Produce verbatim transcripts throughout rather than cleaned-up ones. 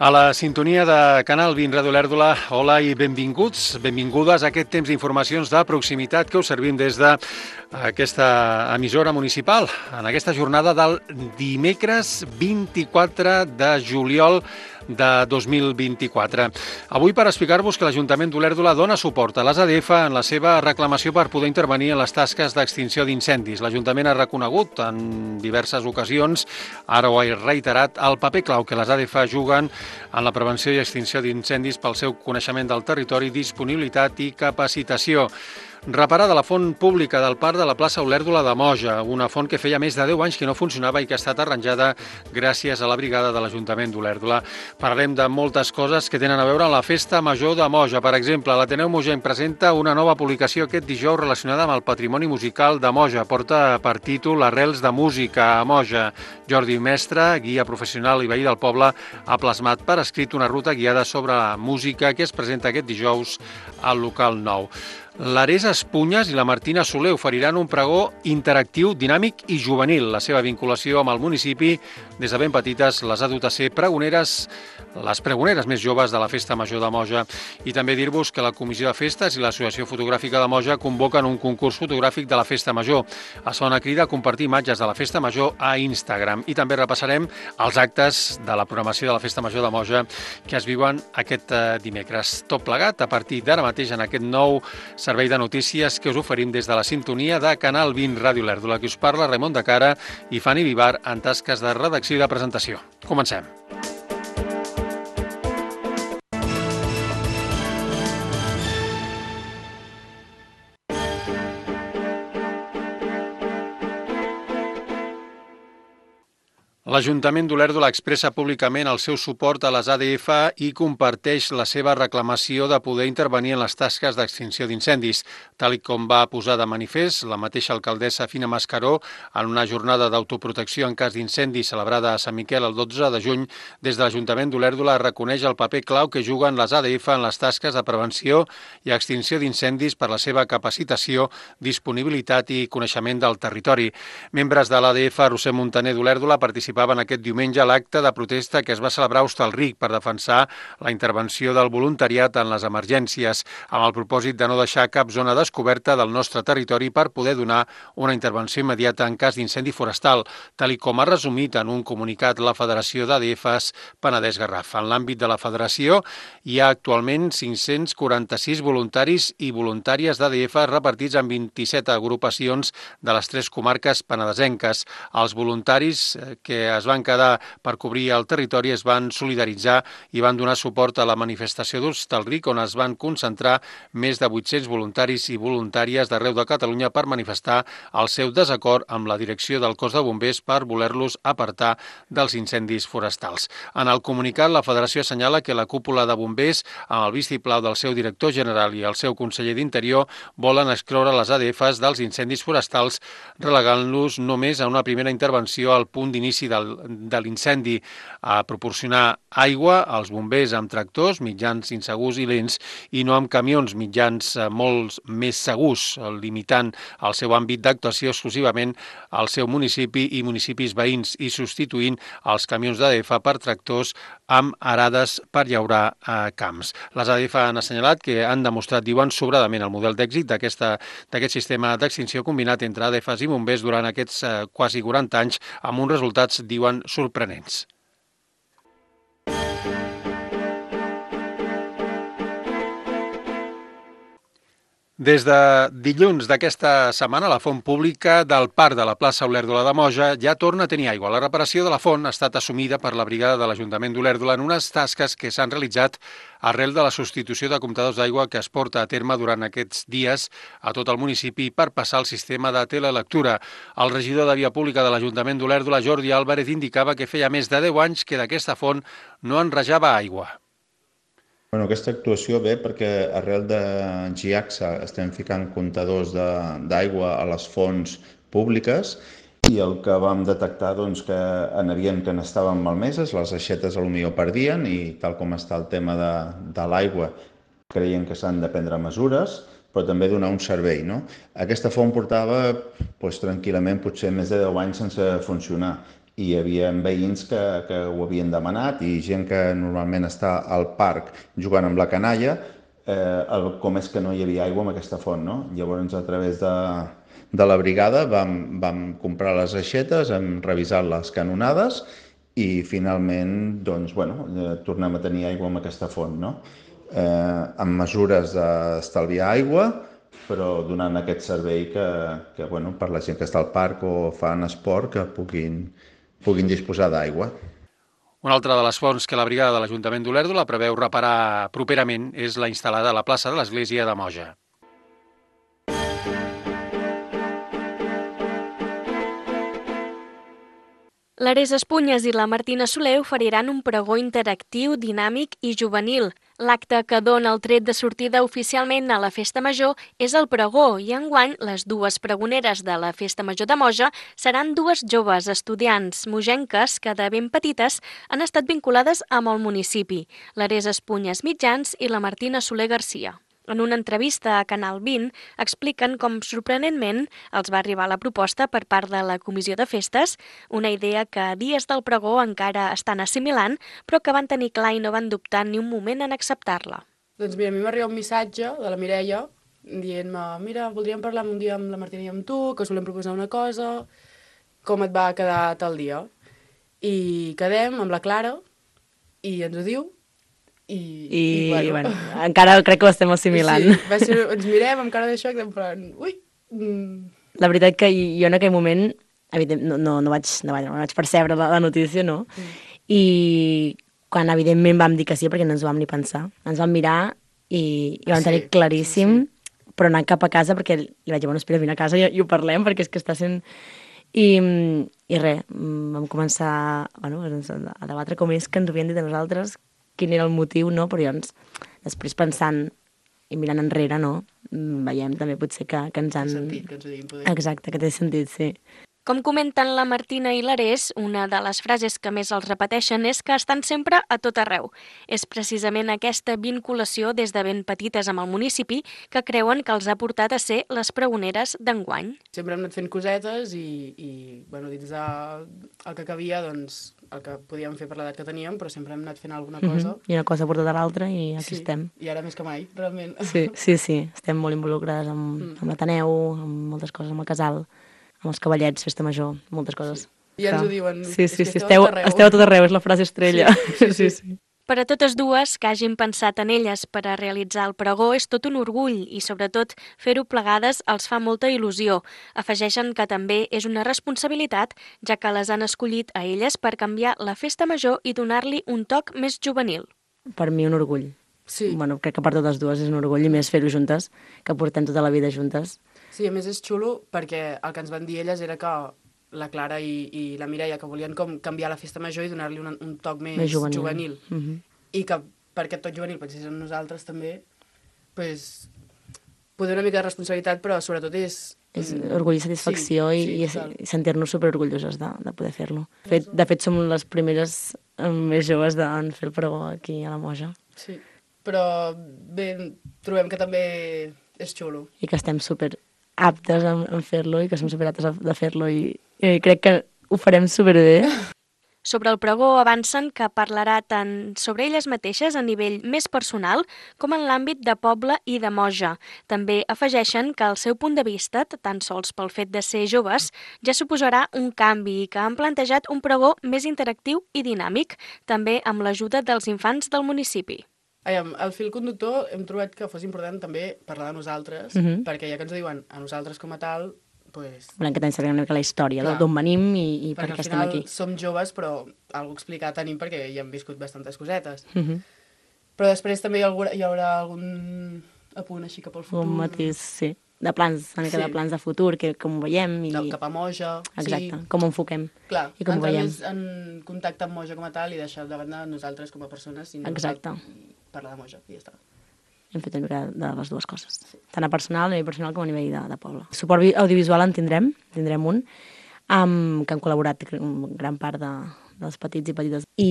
A la sintonia de Canal vint Ràdio Olèrdola, hola i benvinguts, benvingudes a aquest temps d'informacions de proximitat que us servim des d'aquesta emissora municipal en aquesta jornada del dimecres vint-i-quatre de juliol de dos mil vint-i-quatre. Avui per explicar-vos que l'Ajuntament d'Olèrdola dona suport a les A D F en la seva reclamació per poder intervenir en les tasques d'extinció d'incendis. L'Ajuntament ha reconegut en diverses ocasions, ara ho ha reiterat, el paper clau que les A D F juguen en la prevenció i extinció d'incendis pel seu coneixement del territori, disponibilitat i capacitació. Reparada la font pública del parc de la plaça Olèrdola de Moja, una font que feia més de deu anys que no funcionava i que ha estat arranjada gràcies a la brigada de l'Ajuntament d'Olèrdola. Parlem de moltes coses que tenen a veure amb la Festa Major de Moja. Per exemple, l'Ateneu Mogenc presenta una nova publicació aquest dijous relacionada amb el patrimoni musical de Moja. Porta per títol Arrels de música a Moja. Jordi Mestre, guia professional i veí del poble, ha plasmat per escrit una ruta guiada sobre la música que es presenta aquest dijous al local nou. L'Ares Espunyes i la Martina Soler oferiran un pregó interactiu, dinàmic i juvenil. La seva vinculació amb el municipi, des de ben petites, les ha dut a ser pregoneres, les pregoneres més joves de la Festa Major de Moja. I també dir-vos que la Comissió de Festes i l'Associació Fotogràfica de Moja convoquen un concurs fotogràfic de la Festa Major. Es fa una crida a compartir imatges de la Festa Major a Instagram. I també repassarem els actes de la programació de la Festa Major de Moja que es viuen aquest dimecres. Tot plegat a partir d'ara mateix en aquest nou servei de notícies que us oferim des de la sintonia de Canal vint Ràdio Olèrdola. Qui us parla, Raimon de Cara i Fanny Vivar en tasques de redacció i de presentació. Comencem. L'Ajuntament d'Olèrdola expressa públicament el seu suport a les A D F i comparteix la seva reclamació de poder intervenir en les tasques d'extinció d'incendis. Tal com va posar de manifest la mateixa alcaldessa Fina Mascaró en una jornada d'autoprotecció en cas d'incendi celebrada a Sant Miquel el dotze de juny, des de l'Ajuntament d'Olèrdola reconeix el paper clau que juguen les A D F en les tasques de prevenció i extinció d'incendis per la seva capacitació, disponibilitat i coneixement del territori. Membres de l'A D F Roser Montaner d'Olèrdola participaven en aquest diumenge a l'acte de protesta que es va celebrar a Hostalric per defensar la intervenció del voluntariat en les emergències, amb el propòsit de no deixar cap zona descoberta del nostre territori per poder donar una intervenció immediata en cas d'incendi forestal, tal i com ha resumit en un comunicat la Federació d'A D Fs Penedès Garraf. En l'àmbit de la federació hi ha actualment cinc-cents quaranta-sis voluntaris i voluntàries d'A D F repartits en vint-i-set agrupacions de les tres comarques penedesenques. Els voluntaris que es van quedar per cobrir el territori es van solidaritzar i van donar suport a la manifestació d'Hostalric, on es van concentrar més de vuit-cents voluntaris i voluntàries d'arreu de Catalunya per manifestar el seu desacord amb la direcció del cos de bombers per voler-los apartar dels incendis forestals. En el comunicat, la Federació assenyala que la cúpula de bombers, amb el vistiplau del seu director general i el seu conseller d'Interior, volen excloure les A D Fs dels incendis forestals, relegant-los només a una primera intervenció al punt d'inici del, de l'incendi, a proporcionar aigua als bombers amb tractors, mitjans insegurs i lents, i no amb camions, mitjans molt més segurs, limitant el seu àmbit d'actuació exclusivament al seu municipi i municipis veïns i substituint els camions d'A D F per tractors amb arades per llaurar a camps. Les A D F han assenyalat que han demostrat, diuen, sobradament el model d'èxit d'aquest sistema d'extinció combinat entre A D Fs i bombers durant aquests eh, quasi quaranta anys, amb uns resultats, diuen, sorprenents. Des de dilluns d'aquesta setmana, la font pública del parc de la plaça Olèrdola de Moja ja torna a tenir aigua. La reparació de la font ha estat assumida per la brigada de l'Ajuntament d'Olèrdola en unes tasques que s'han realitzat arrel de la substitució de comptadors d'aigua que es porta a terme durant aquests dies a tot el municipi per passar al sistema de telelectura. El regidor de Via Pública de l'Ajuntament d'Olèrdola, Jordi Álvarez, indicava que feia més de deu anys que d'aquesta font no enrejava aigua. Bueno, aquesta actuació ve perquè arrel de GIACSA estem ficant comptadors d'aigua a les fonts públiques i el que vam detectar doncs, que en havien que n'estaven malmeses, les aixetes potser perdien i tal com està el tema de, de l'aigua creiem que s'han de prendre mesures, però també donar un servei. No? Aquesta font portava doncs, tranquil·lament potser més de deu anys sense funcionar i hi havia veïns que, que ho havien demanat i gent que normalment està al parc jugant amb la canalla, eh, el, com és que no hi havia aigua amb aquesta font, no? Llavors, a través de, de la brigada vam, vam comprar les aixetes, hem revisat les canonades i finalment doncs, bueno, eh, tornem a tenir aigua amb aquesta font, no? Eh, amb mesures d'estalviar aigua, però donant aquest servei que, que bueno, per la gent que està al parc o fan esport que puguin, puguin disposar d'aigua. Una altra de les fonts que la brigada de l'Ajuntament d'Olèrdola preveu reparar properament és la instal·lada a la plaça de l'Església de Moja. L'Ares Espunyes i la Martina Soler oferiran un pregó interactiu, dinàmic i juvenil. L'acte que dona el tret de sortida oficialment a la Festa Major és el pregó i enguany les dues pregoneres de la Festa Major de Moja seran dues joves estudiants mojenques que de ben petites han estat vinculades amb el municipi, l'Ares Espunyes Mitjans i la Martina Soler Garcia. En una entrevista a Canal vint expliquen com sorprenentment els va arribar la proposta per part de la Comissió de Festes, una idea que a dies del pregó encara estan assimilant, però que van tenir clar i no van dubtar ni un moment en acceptar-la. Doncs mira, a mi m'arriba un missatge de la Mireia dient-me, mira, voldríem parlar un dia amb la Martina i amb tu, que us volem proposar una cosa, com et va quedar tal dia? I quedem amb la Clara i ens ho diu. I, I, i bueno, bueno, encara crec que ho estem assimilant. Sí, va ser, ens mirem amb cara de xoc, en plan, ui... Mm. La veritat que jo en aquell moment, evident, no, no, no, vaig, no, vaig, no vaig percebre la, la notícia, no? Mm. I quan evidentment vam dir que sí, perquè no ens ho vam ni pensar, ens vam mirar i, i vam sí, tenir claríssim, sí, sí. Però anant cap a casa, perquè li vaig dir, bueno, espera, vine a casa i, i ho parlem, perquè és que està sent... I, i res, vam començar bueno, a debatre com és que ens ho havien dit a nosaltres, quin era el motiu, no? Però llavors, després pensant i mirant enrere, no? Veiem també potser que, que ens han... Té sentit, que ens ho diguin poder. Exacte, que té sentit, sí. Com comenten la Martina i l'Ares, una de les frases que més els repeteixen és que estan sempre a tot arreu. És precisament aquesta vinculació des de ben petites amb el municipi que creuen que els ha portat a ser les pregoneres d'enguany. Sempre hem anat fent cosetes i, i bueno, dins de el que cabia, doncs, el que podíem fer per l'edat que teníem, però sempre hem anat fent alguna cosa. Mm-hmm. I una cosa porta a l'altra i aquí sí, estem. I ara més que mai, realment. Sí, sí, sí. Estem molt involucrades amb, mm. amb l'Ateneu, amb moltes coses, amb el casal, amb els cavallets, festa major, moltes coses. Sí. I ens ho diuen. Sí, sí, sí, esteu, esteu a tot arreu, és la frase estrella. Sí, sí, sí. sí, sí. Per a totes dues, que hagin pensat en elles per a realitzar el pregó és tot un orgull i, sobretot, fer-ho plegades els fa molta il·lusió. Afegeixen que també és una responsabilitat, ja que les han escollit a elles per canviar la festa major i donar-li un toc més juvenil. Per mi un orgull. Sí. Bueno, crec que per totes dues és un orgull i més fer-ho juntes, que portem tota la vida juntes. Sí, a més és xulo perquè el que ens van dir elles era que la Clara i, i la Mireia que volien com canviar la festa major i donar-li un, un toc més, més juvenil. juvenil. Mm-hmm. I que per aquest toc juvenil pensés en nosaltres també, pues, poder una mica de responsabilitat, però sobretot és... És orgull i satisfacció sí, i, sí, i sentir-nos superorgulloses de, de poder fer-lo. De fet, de fet, som les primeres més joves de fer el pregó aquí a la Moja. Sí, però bé, trobem que també és xulo. I que estem super aptes en, en fer-lo i que som superaptes de fer-lo i, i crec que ho farem superbé. Sobre el pregó avancen que parlarà tant sobre elles mateixes a nivell més personal com en l'àmbit de poble i de Moja. També afegeixen que el seu punt de vista, tan sols pel fet de ser joves, ja suposarà un canvi i que han plantejat un pregó més interactiu i dinàmic, també amb l'ajuda dels infants del municipi. Aviam, el fil conductor hem trobat que fos important també parlar de nosaltres, mm-hmm. perquè ja que ens ho diuen a nosaltres com a tal, pues... volem que també sapiguem una mica la història, d'on venim i, i per què estem aquí. Perquè al final som joves, però alguna cosa explicar tenim perquè ja hem viscut bastantes cosetes. Mm-hmm. Però després també hi haurà, hi haurà algun apunt així cap al futur. Un matís, sí. De plans, una mica sí. de plans de futur, que com ho veiem. I... Del cap a Moja. Exacte, sí. com ho enfoquem. Clar, i com entrar ho veiem. més en contacte amb Moja com a tal i deixar de banda nosaltres com a persones i Exacte. parlar de Moja, i ja està. Hem fet una mica de les dues coses, sí. Tant a personal, a nivell personal com a nivell de, de poble. Suport audiovisual en tindrem, tindrem un, amb, que han col·laborat gran part de, dels petits i petites. I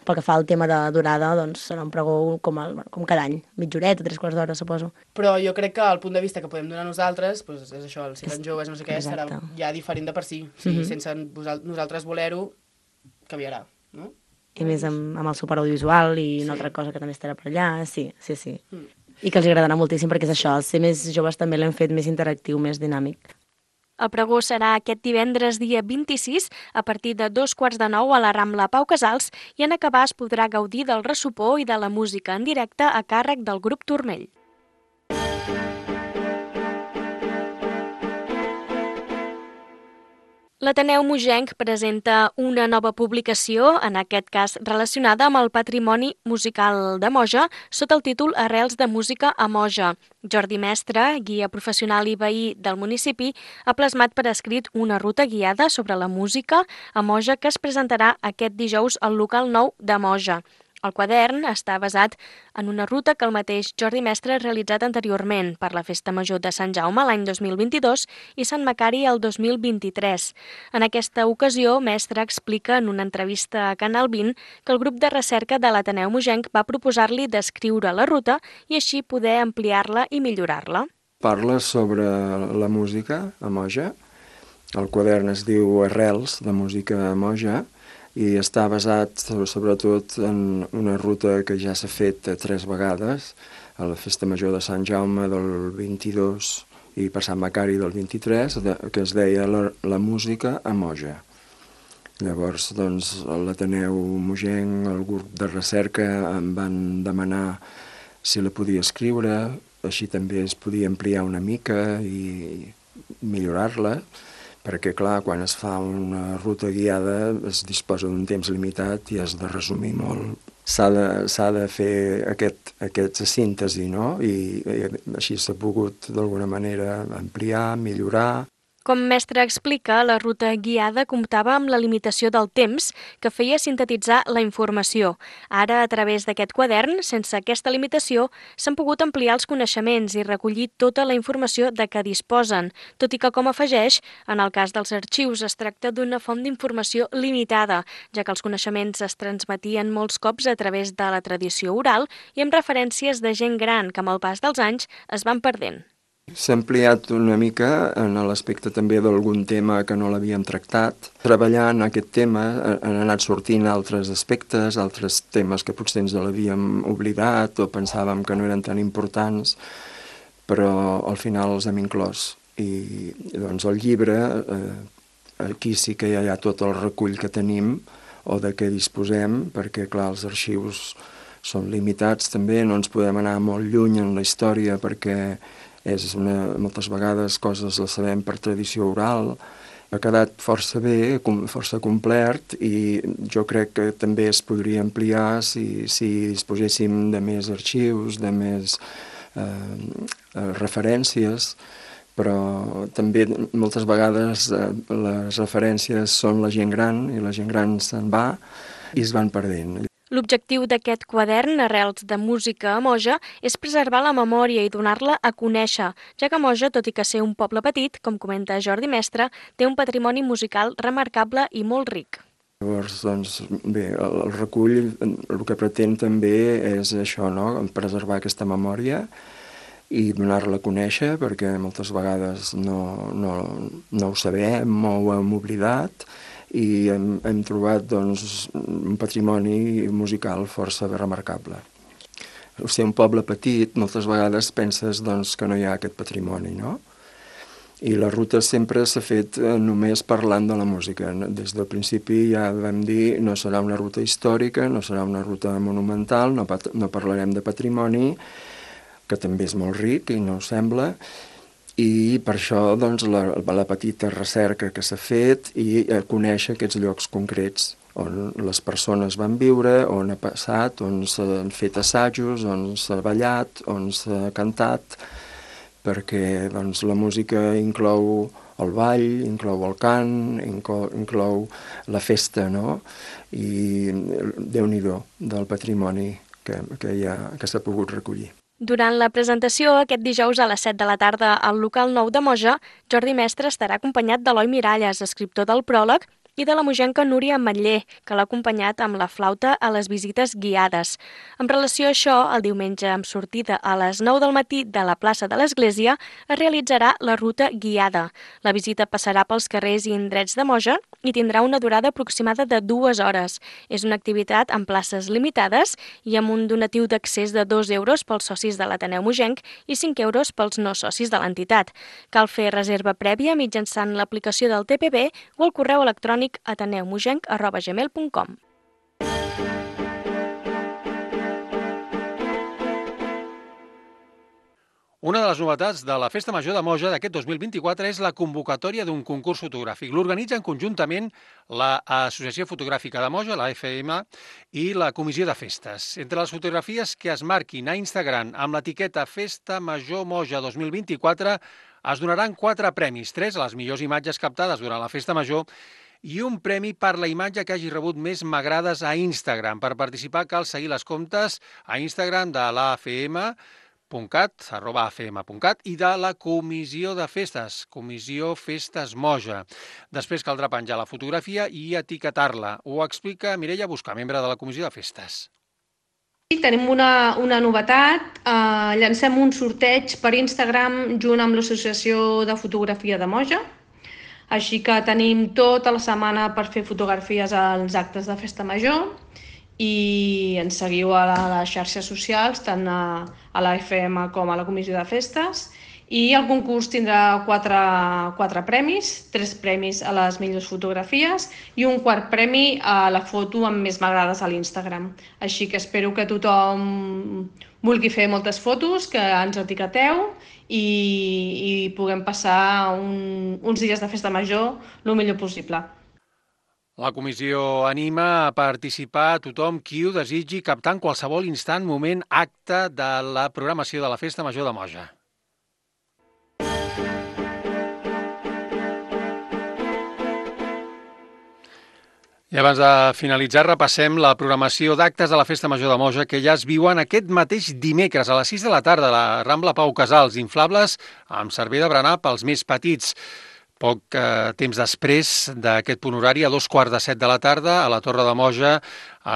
pel que fa al tema de durada, doncs serà un pregó com, el, com cada any, mitja horeta, tres quarts d'hora, suposo. Però jo crec que el punt de vista que podem donar nosaltres, doncs és això, si eren joves, no sé què, serà ja diferent de per si. O sigui, mm-hmm. sense nosaltres voler-ho, canviarà, no? I més amb, amb el suport audiovisual i una sí. altra cosa que també estarà per allà, sí, sí, sí. Mm. I que els agradarà moltíssim perquè és això, els ser més joves també l'hem fet més interactiu, més dinàmic. El pregó serà aquest divendres dia vint-i-sis a partir de dos quarts de nou a la Rambla Pau Casals i en acabar es podrà gaudir del ressopor i de la música en directe a càrrec del grup Turmell. L'Ateneu Mogenc presenta una nova publicació, en aquest cas relacionada amb el patrimoni musical de Moja, sota el títol Arrels de música a Moja. Jordi Mestre, guia professional i veí del municipi, ha plasmat per escrit una ruta guiada sobre la música a Moja que es presentarà aquest dijous al local nou de Moja. El quadern està basat en una ruta que el mateix Jordi Mestre ha realitzat anteriorment per la Festa Major de Sant Jaume l'any dos mil vint-i-dos i Sant Macari el dos mil vint-i-tres. En aquesta ocasió, Mestre explica en una entrevista a Canal vint que el grup de recerca de l'Ateneu Mogenc va proposar-li descriure la ruta i així poder ampliar-la i millorar-la. Parla sobre la música a Moja. El quadern es diu Arrels de música a Moja i està basat sobretot en una ruta que ja s'ha fet tres vegades, a la Festa Major de Sant Jaume del vint-i-dos i per Sant Macari del vint-i-tres, que es deia la, la música a Moja. Llavors, doncs, l'Ateneu Mogenc, el grup de recerca, em van demanar si la podia escriure, així també es podia ampliar una mica i millorar-la, perquè, clar, quan es fa una ruta guiada es disposa d'un temps limitat i has de resumir molt. S'ha de, s'ha de fer aquest, aquesta síntesi, no? I, i així s'ha pogut, d'alguna manera, ampliar, millorar. Com Mestre explica, la ruta guiada comptava amb la limitació del temps que feia sintetitzar la informació. Ara, a través d'aquest quadern, sense aquesta limitació, s'han pogut ampliar els coneixements i recollir tota la informació de què disposen, tot i que, com afegeix, en el cas dels arxius es tracta d'una font d'informació limitada, ja que els coneixements es transmetien molts cops a través de la tradició oral i amb referències de gent gran que amb el pas dels anys es van perdent. S'ha ampliat una mica en l'aspecte també d'algun tema que no l'havíem tractat. Treballant aquest tema han anat sortint altres aspectes, altres temes que potser ens l'havíem oblidat o pensàvem que no eren tan importants, però al final els hem inclòs. I doncs el llibre, eh, aquí sí que ja hi ha tot el recull que tenim o de què disposem, perquè clar, els arxius són limitats també, no ens podem anar molt lluny en la història perquè és una, moltes vegades coses les sabem per tradició oral. Ha quedat força bé, força complet i jo crec que també es podria ampliar si, si disposéssim de més arxius, de més eh, referències, però també moltes vegades eh, les referències són la gent gran i la gent gran se'n va i es van perdent. L'objectiu d'aquest quadern, Arrels de música a Moja, és preservar la memòria i donar-la a conèixer, ja que Moja, tot i que ser un poble petit, com comenta Jordi Mestre, té un patrimoni musical remarcable i molt ric. Llavors, doncs, bé, el recull el que pretén també és això, no?, preservar aquesta memòria i donar-la a conèixer, perquè moltes vegades no, no, no ho sabem o ho hem oblidat, i hem, hem trobat doncs, un patrimoni musical força remarcable. O sigui, un poble petit, moltes vegades penses doncs, que no hi ha aquest patrimoni, no? I la ruta sempre s'ha fet només parlant de la música. Des del principi ja vam dir no serà una ruta històrica, no serà una ruta monumental, no, no parlarem de patrimoni, que també és molt ric i no ho sembla, i per això doncs, la, la petita recerca que s'ha fet i conèixer aquests llocs concrets on les persones van viure, on ha passat, on s'han fet assajos, on s'ha ballat, on s'ha cantat, perquè doncs, la música inclou el ball, inclou el cant, inclou, inclou la festa, no? I Déu-n'hi-do del patrimoni que, que, hi ha, que s'ha pogut recollir. Durant la presentació, aquest dijous a les set de la tarda al local nou de Moja, Jordi Mestre estarà acompanyat d'Eloi Miralles, escriptor del pròleg, i de la mogenca Núria Ametller, que l'ha acompanyat amb la flauta a les visites guiades. En relació a això, el diumenge amb sortida a les nou del matí de la plaça de l'Església es realitzarà la ruta guiada. La visita passarà pels carrers i indrets de Moja i tindrà una durada aproximada de dues hores. És una activitat amb places limitades i amb un donatiu d'accés de dos euros pels socis de l'Ateneu Mogenc i cinc euros pels no socis de l'entitat. Cal fer reserva prèvia mitjançant l'aplicació del T P B o el correu electrònic ateneumogenc arroba gmail punt com. Una de les novetats de la Festa Major de Moja d'aquest dos mil vint-i-quatre és la convocatòria d'un concurs fotogràfic. L'organitzen conjuntament l'Associació Fotogràfica de Moja, la A F M, i la Comissió de Festes. Entre les fotografies que es marquin a Instagram amb l'etiqueta Festa Major Moja dos mil vint-i-quatre es donaran quatre premis, tres a les millors imatges captades durant la Festa Major i un premi per la imatge que hagi rebut més m'agrades a Instagram. Per participar cal seguir les comptes a Instagram de l'A F M, .cat, arroba afm.cat, i de la Comissió de Festes, Comissió Festes Moja. Després caldrà penjar la fotografia i etiquetar-la. Ho explica Mireia Busca, membre de la Comissió de Festes. Sí, tenim una, una novetat. Uh, llancem un sorteig per Instagram junt amb l'Associació de Fotografia de Moja. Així que tenim tota la setmana per fer fotografies als actes de Festa Major i ens seguiu a les xarxes socials, tant a, a l'A F M com a la Comissió de Festes. I el concurs tindrà quatre, quatre premis, tres premis a les millors fotografies i un quart premi a la foto amb més m'agrades a l'Instagram. Així que espero que tothom vulgui fer moltes fotos, que ens etiqueteu i, i puguem passar un, uns dies de Festa Major el millor possible. La comissió anima a participar a tothom qui ho desitgi, captant qualsevol instant, moment, acte de la programació de la Festa Major de Moja. I abans de finalitzar, repassem la programació d'actes de la Festa Major de Moja que ja es viuen aquest mateix dimecres a les sis de la tarda a la Rambla Pau Casals, inflables amb servei de berenar pels més petits. Poc eh, temps després d'aquest punt horari, a dos quarts de set de la tarda, a la Torre de Moja,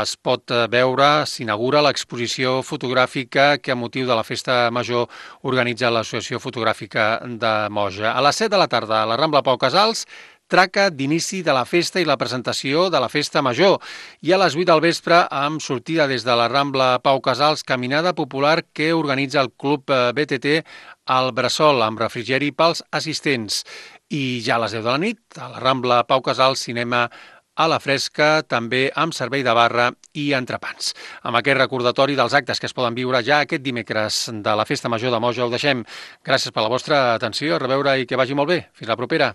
es pot veure, s'inaugura l'exposició fotogràfica que a motiu de la Festa Major organitza l'Associació Fotogràfica de Moja. A les set de la tarda, a la Rambla Pau Casals, traca d'inici de la festa i la presentació de la Festa Major. I a les vuit del vespre, amb sortida des de la Rambla Pau Casals, caminada popular que organitza el Club B T T al Bressol, amb refrigeri pels assistents. I ja a les deu de la nit, a la Rambla Pau Casals, cinema a la fresca, també amb servei de barra i entrepans. Amb aquest recordatori dels actes que es poden viure ja aquest dimecres de la Festa Major de Moja, ho deixem. Gràcies per la vostra atenció, a reveure i que vagi molt bé. Fins la propera.